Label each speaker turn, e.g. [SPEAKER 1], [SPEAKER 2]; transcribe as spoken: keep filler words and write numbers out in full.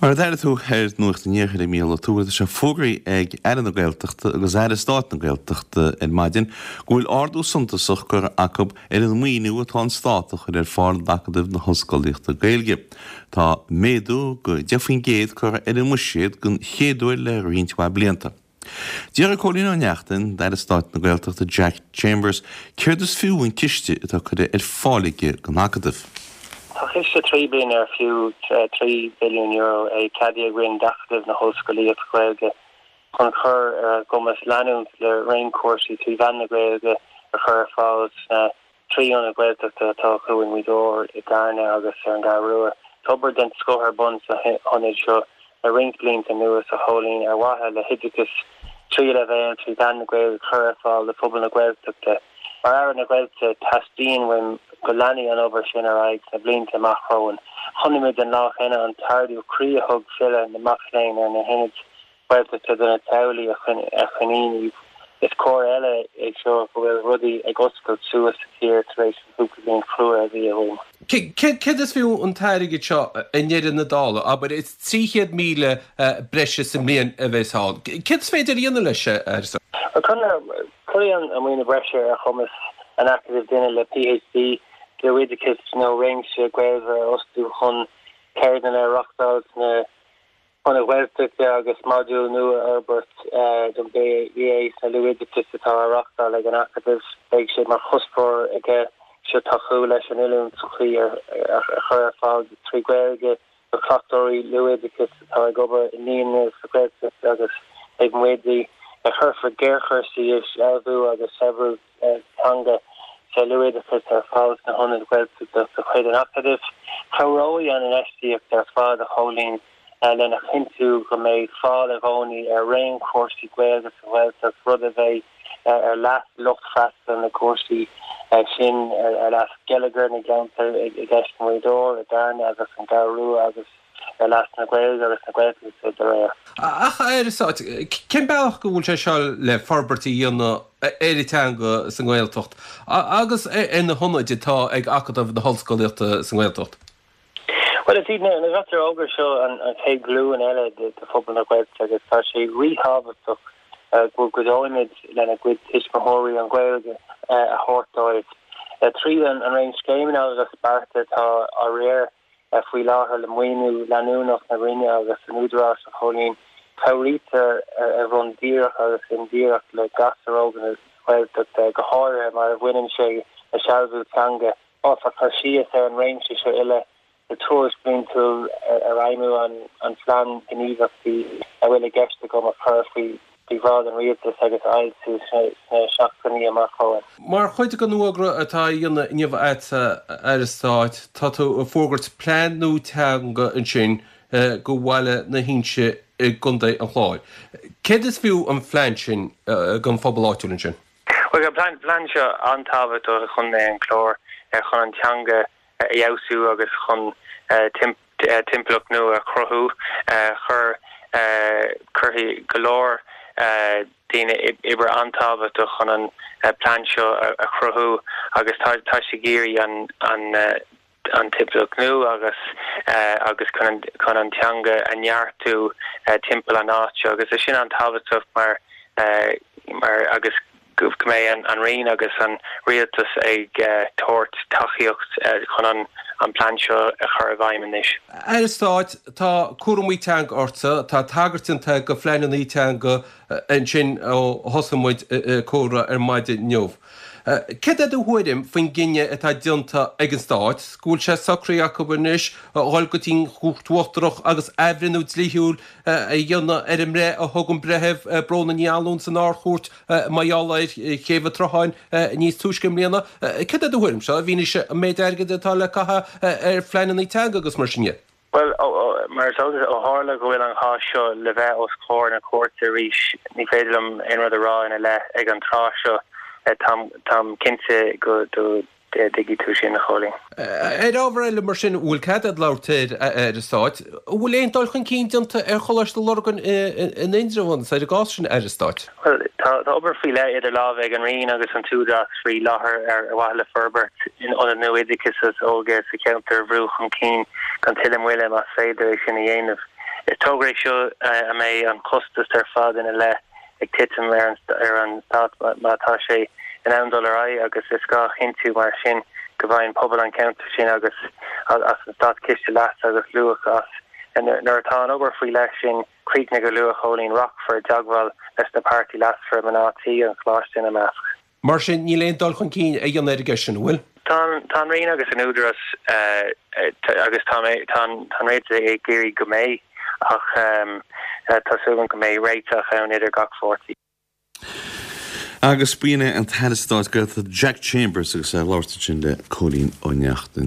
[SPEAKER 1] Mar a d'airigh tú ar Nuacht an Iarthair a Mhícheál Ó Tuathail, tá sé fógraithe ag Aire na Gaeltachta agus Aire Stáit na Gaeltachta ar maidin go bhfuil ardú suntasach curtha acu ar an maoiniú atá an Stát a chur ar fáil d'Acadamh na hOllscolaíochta Gaeilge. Tá méadú go deich faoin gcéad curtha ar an mbuiséad den chéad uair le roinnt mhaith blianta. D'fhiafraigh Cóilín Ó Neachtain d'Aire Stáit na Gaeltachta Jack Chambers céard is fiú an ciste atá curtha ar fáil aige don Acadamh.
[SPEAKER 2] Tá ciste trí bliana ar fiú trí billiún euro é ceadaithe againn d'Acadamh na hOllscolaíochta Gaeilge chun cur ar a gcumas leanúint le raon cúrsaí trí mheán na Gaeilge a chur ar fáil sna trí ionad Gaeltachta atá acu i nGaoth Dobhair, i gCarna agus ar an gCeathrú Rua. Tá obair den scoth ar bun sna hionaid seo le roinnt blianta anuas, a Chóilín, ar mhaithe le hoideachas tríú leibhéal trí mheán na Gaeilge a chur ar fáil do phobal na Gaeltachta. Mar Aire na Gaeltachta, teastaíonn uaim go leanfaidh an obair sin ar aghaidh sna blianta amach romhainn. Chonaic muid an lá cheana an t-ardú croí a thug filleadh na mac léinn ar na hionaid Ghaeltachta do na teaghlaigh a choinníonn iad. Is comhartha eile é seo go bhfuil rudaí ag oscailt suas sa tír tar éis an chúpla bliain chrua a bhí againn.
[SPEAKER 3] Céard is fiú an t-airgead seo i ndeireadh na dála? Abair, is trí chéad míle breise sa mbliain a bheas ann. Céard is féidir a dhéanamh leis, a Aire?
[SPEAKER 2] Cuirfidh an maoiniú breise ar chumas an Acadaimh duine le PhD, luathoideachas nó réimse gaolmhar a fhostú chun ceardlanna a reáchtáil sna hionaid Ghaeltachta agus modúl nua a fhorbairt don B A sa luathoideachas atá á reáchtáil ag an Acadamh. Beidh sé mar chuspóir aige seo tacú leis an oiliúint chuí a chur ar fáil trí Ghaeilge do chleachtóirí luathoideachais atá ag obair i naíonraí sa Ghaeltacht agus ag m'oidí. Cuirfear gearrchúrsaí i sealbhú agus saibhriú teanga sa luathoideachas ar fáil sna hionaid Ghaeltachta de chuid an Acadaimh. Cabhróidh an infheistíocht ar fad, a Chóilín, lena chinntiú go mbeidh fáil i gcónaí ar raon cúrsaí Gaeilge sa Ghaeltacht, rud a bheidh ar leas lucht freastail na gcúrsaí sin, ar leas gheilleagar na gceantar i gceist i nGaoth Dobhair, i gCarna agus an gCeathrú Rua agus ar leas na Gaeilge agus na Gaeltachta dá réir.
[SPEAKER 3] Ach, a Aire Stáit, cén bealach go bhfuil sé seo le forbairt a dhéanamh ar an teanga sa nGaeltacht agus ar na hionaid atá ag Acadamh na hOllscolaíochta sa nGaeltacht?
[SPEAKER 2] Bhuel, is iad na gasúir óga seo an chéad ghlúin eile de phobal na Gaeltachta agus tá sé ríthábhachtach go gcuideoimid lena gcuid tuismitheoirí an Ghaeilge a thabhairt dóibh. Trí an raon scéimeanna agus bearta atá á riar faoi láthair le maoiniú leanúnach na Roinne agus an Údaráis, a Chóilín, cabhraítear ar bhonn díreach agus indíreach le gasúir óga na Gaeltachta, go háirithe mar a bhaineann sé le sealbhú teanga. Déanfar cur síos ar an réimse seo uile sa tuairisc bhliantúil ar fheidhmiú an phlean gníomhaíochtaí a bhfuil i gceist agam a chur faoi bhráid an Rialtais agus a fhoilsiú sna seachtainí amach romhainn.
[SPEAKER 3] Mar chuid den fhógra atá á dhéanamh inniu agat, a Aire Stáit, tá tú ag fógairt plean nua teanga ansin do bhaile na hInse i gContae an Chláir. Céard is fiú an phlean sin don phobal áitiúil ansin?
[SPEAKER 2] Bhuel, tá an plean seo an-tábhachtach do Chontae an Chláir chun an teanga a fheabhsú agus chun timpeallacht nua a chruthú. Chuir cuirfidh go leor daoine obair an-tábhachtach chun an plean seo a chruthú agus tá tá sé ag iarraidh an an an timpeallacht nua agus agus chun chun an teanga a neartú timpeall an áit seo agus é sin an-tábhachtach mar mar agus go mbeidh an an Roinn agus an rialtas ag tabhairt tacaíocht chun an an plean seo a chur i bhfeidhm anois.
[SPEAKER 3] Aire Stáit, tá cúramaí teanga ortsa, tá tagairt déanta do phleananna teanga ansin ó thosaigh muid comhrá ar maidin inniu. Céard é do thuairim faoin gcinneadh atá déanta ag an Stát, go bhfuil sé socraithe acu anois a dhul go dtí an Chúirt Uachtarach agus athbhreithniú dlíthiúil a dhéanamh ar an mbreith a thug an Breitheamh Bróna Ní Anluain san Ard-Chúirt mar gheall ar Chéibh an tSrutháin níos túisce i mbliana? Céard é do thuairimse i bhfianaise an méid airgid atá le caitheamh ar phleananna teanga agus mar sin de?
[SPEAKER 2] Bhuel, mar is eol duit, ó tharla go bhfuil an cás seo le bheith os comhair na cúirte arís, ní féidir liom aon rud a rá ina leith ag an tráth seo. Táim cinnte go dtuigfidh tú sin, a Chóilín.
[SPEAKER 3] Ar ábhar eile, mar sin, an bhfuil cead agat labhairt air, a Aire Stáit, an bhfuil aon dul chun cinn déanta ar Choláiste Lurgan in Indreabhán agus ar an gcás sin, a Aire Stáit?
[SPEAKER 2] Bhuel, tá obair faoi leith idir lámha ag an Roinn agus an tÚdarás faoi láthair ar mhaithe le forbairt ionad nua oideachais agus óige sa cheantar a bhrú chun cinn gan tuilleadh moille más féidir é sin a dhéanamh. Is togra é seo a mbeidh an costas ar fad ina leith ag titim ar an ar an stát má tá sé in ann dul ar aghaidh agus is gá a chinntiú mar sin go bhfaigheann pobal an cheantair sin agus as an státchiste leas agus luach as. Nuair atá an obair faoi leith sin críochnaithe go luath, Chóilín, rachfar i dteagmháil leis na páirtithe leasmhara, mná tí an choláiste ina measc.
[SPEAKER 3] Mar sin, níl aon dul chun cinn á dhéanamh ar an gceist sin, an bhfuil?
[SPEAKER 2] Tá an Roinn agus an Údarás agus tá tá an Rialtas ag iarraidh go mbeidh ach tá súil agam go mbeidh réiteach ann idir gach pháirtí.
[SPEAKER 1] Agus b'in é an tAire Stáit Gaeltachta Jack Chambers agus é ag labhairt ansin le Cóilín Ó Neachtain.